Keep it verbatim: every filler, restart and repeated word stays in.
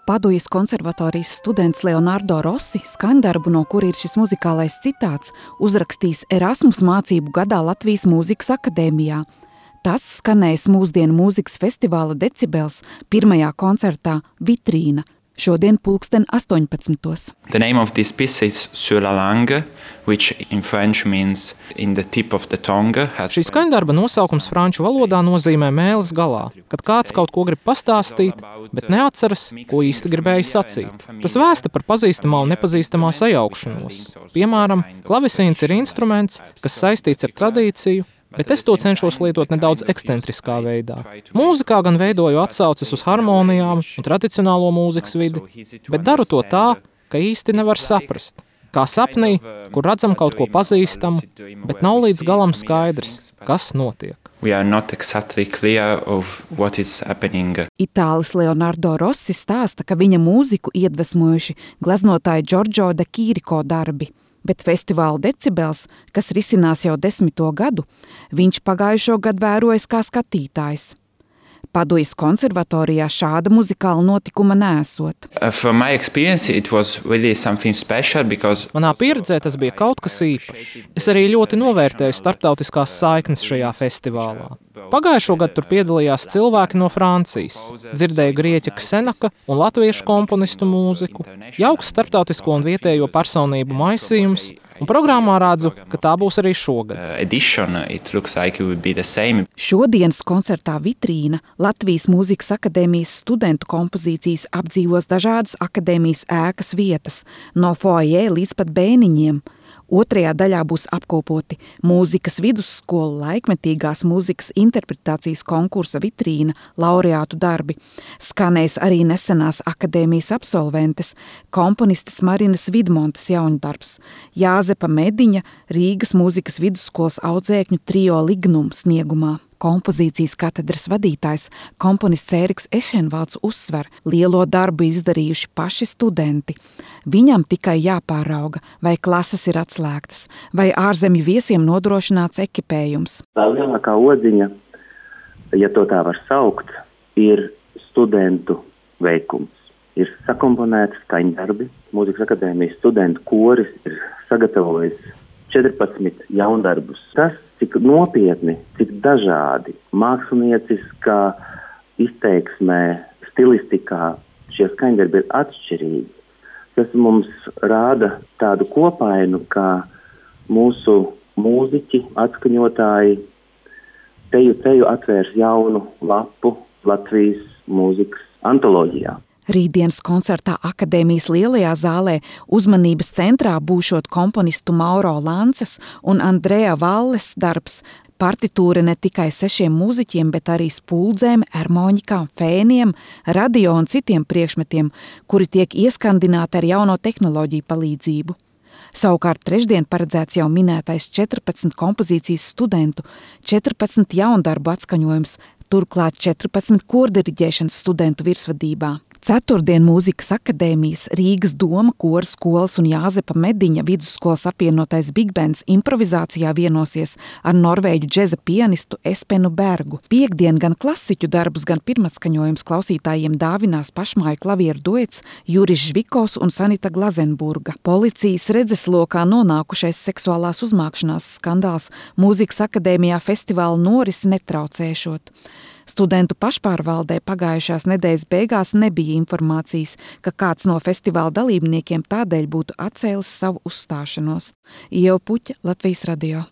Padujas konservatorijas students Leonardo Rossi skaņdarbu, no kura ir šis muzikālais citāts, uzrakstījis Erasmus mācību gadā Latvijas Mūzikas akadēmijā. Tas skanēs mūsdienu mūzikas festivāla Decibels pirmajā koncertā Vitrīna, šodien pulksten astoņpadsmitos. The name of this piece is Sur la langue, which in French means in the tip of the tongue. Šī skaņdarba nosaukums franču valodā nozīmē mēles galā, kad kāds kaut ko grib pastāstīt, bet neatceras, ko īsti gribēja sacīt. Tas vēsta par pazīstamā un nepazīstamā sajaukšanos. Piemēram, klavesīns ir instruments, kas saistīts ar tradīciju, bet es to cenšos lietot nedaudz ekscentriskā veidā. Mūzikā gan veidoju atsauces uz harmonijām un tradicionālo mūzikas vidi, bet daru to tā, ka īsti nevar saprast. Kā sapnī, kur redzam kaut ko pazīstamu, bet nav līdz galam skaidrs, kas notiek. We are not exactly clear of what is happening. Itālis Leonardo Rossi stāsta, ka viņa mūziku iedvesmojuši gleznotāja Giorgio de Chirico darbi. Bet festivāla Decibels, kas risinās jau desmito gadu, viņš pagājušo gadu vērojas kā skatītājs. Padujas konservatorijā šāda muzikāla notikuma neesot. Uh, from my experience, it was really something special because... Manā pieredzē tas bija kaut kas īpašs. Es arī ļoti novērtēju starptautiskās saiknes šajā festivālā. Pagājušo gadu tur piedalījās cilvēki no Francijas, dzirdēju grieķa Ksenaka un latviešu komponistu mūziku, jauks starptautisko un vietējo personību maisījums, un programmā redzu, ka tā būs arī šogad. Edition, it looks like it would be the same. Šodienas koncertā Vitrīna Latvijas Mūzikas akadēmijas studentu kompozīcijas apdzīvos dažādas akadēmijas ēkas vietas, no foajē līdz pat bēniņiem. Otrajā daļā būs apkopoti mūzikas vidusskolu laikmetīgās mūzikas interpretācijas konkursa Vitrīna laureātu darbi. Skanēs arī nesenās akadēmijas absolventes, komponistes Marinas Vidmontes jauņdarbs, Jāzepa Mediņa Rīgas mūzikas vidusskolas audzēkņu trio Lignum sniegumā. Kompozīcijas katedras vadītājs, komponists Ēriks Ešenvalds uzsver, lielo darbu izdarījuši paši studenti. Viņam tikai jāpārauga, vai klases ir atslēgtas, vai ārzemju viesiem nodrošināts ekipējums. Tā lielākā odziņa, ja to tā var saukt, ir studentu veikums. Ir sakomponēti skaņdarbi, Mūzikas akadēmijas studentu koris ir sagatavojis četrpadsmit jaundarbus. Tas, cik nopietni, cik dažādi, mākslinieckā izteiksmē, stilistikā šie skaņdarbi ir atšķirīgi. Tas mums rāda tādu kopainu, kā mūsu mūziķi, atskaņotāji teju teju atvērs jaunu lapu Latvijas mūzikas antoloģijā. Rītdienas koncertā Akadēmijas lielajā zālē uzmanības centrā būšot komponistu Mauro Lances un Andrea Valles darbs, partitūra ne tikai sešiem mūziķiem, bet arī spuldzēm, ermoņikām, fēniem, radio un citiem priekšmetiem, kuri tiek ieskandināti ar jauno tehnoloģiju palīdzību. Savukārt trešdien paredzēts jau minētais četrpadsmit kompozīcijas studentu, četrpadsmit jaundarbu atskaņojums, turklāt četrpadsmit kordiriģēšanas studentu virsvadībā. Ceturtdien Mūzikas akadēmijas, Rīgas doma, kora skolas un Jāzepa Mediņa vidusskolas apvienotais Big Bands improvizācijā vienosies ar norvēģu džeza pianistu Espenu Bergu. Piektdien gan klasiķu darbus, gan pirmatskaņojums klausītājiem dāvinās pašmāju klavieru duets Juris Žvikos un Sanita Glazenburga. Policijas redzeslokā nonākušais seksuālās uzmākšanās skandāls Mūzikas akadēmijā festivāla norisi netraucēšot. Studentu pašpārvaldē pagājušās nedēļas beigās nebija informācijas, ka kāds no festivāla dalībniekiem tādēļ būtu atcēlis savu uzstāšanos. Ieva Puķa, Latvijas radio.